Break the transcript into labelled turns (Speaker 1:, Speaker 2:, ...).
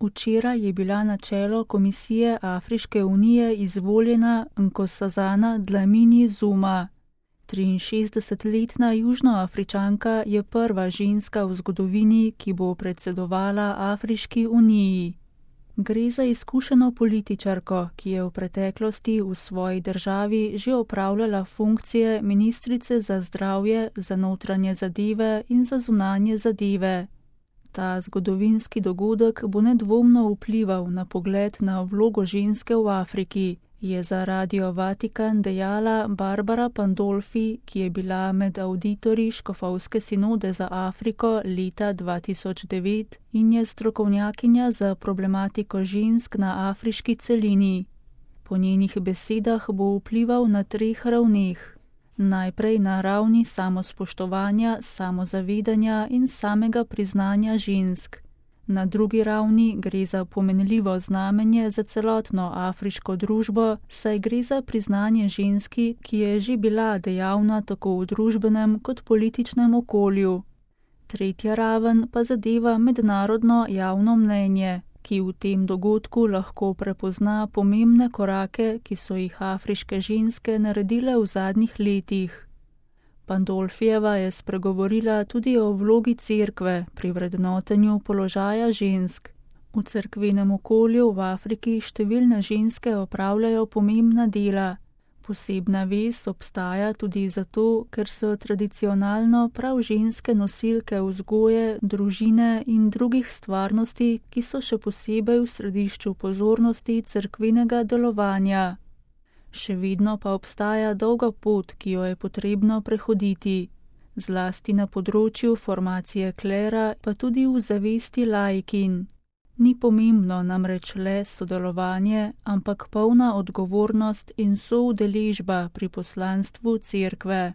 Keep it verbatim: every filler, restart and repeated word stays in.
Speaker 1: Včeraj je bila na čelo Komisije Afriške unije izvoljena Nkosazana Dlamini Zuma. triinšestdesetletna Južnoafričanka je prva ženska v zgodovini, ki bo predsedovala Afriški uniji. Gre za izkušeno političarko, ki je v preteklosti v svoji državi že opravljala funkcije ministrice za zdravje, za notranje zadeve in za zunanje zadeve. Ta zgodovinski dogodek bo nedvomno vplival na pogled na vlogo ženske v Afriki, je za Radio Vatikan dejala Barbara Pandolfi, ki je bila med avditorji Škofovske sinode za Afriko leta dva tisoč devet in je strokovnjakinja za problematiko žensk na afriški celini. Po njenih besedah bo vplival na treh ravneh. Najprej na ravni samospoštovanja, samozavedanja in samega priznanja žensk. Na drugi ravni gre za pomenljivo znamenje za celotno afriško družbo, saj gre za priznanje ženski, ki je že bila dejavna tako v družbenem kot političnem okolju. Tretja raven pa zadeva mednarodno javno mnenje, ki v tem dogodku lahko prepozna pomembne korake, ki so jih afriške ženske naredile v zadnjih letih. Pandolfijeva je spregovorila tudi o vlogi cerkve pri vrednotenju položaja žensk. V cerkvenem okolju v Afriki številne ženske opravljajo pomembna dela. Posebna vez obstaja tudi zato, ker so tradicionalno prav ženske nosilke vzgoje, družine in drugih stvarnosti, ki so še posebej v središču pozornosti cerkvenega delovanja. Še vedno pa obstaja dolga pot, ki jo je potrebno prehoditi, zlasti na področju formacije klera, pa tudi v zavesti laikin. Ni pomembno namreč le sodelovanje, ampak polna odgovornost in soudeležba pri poslanstvu cerkve.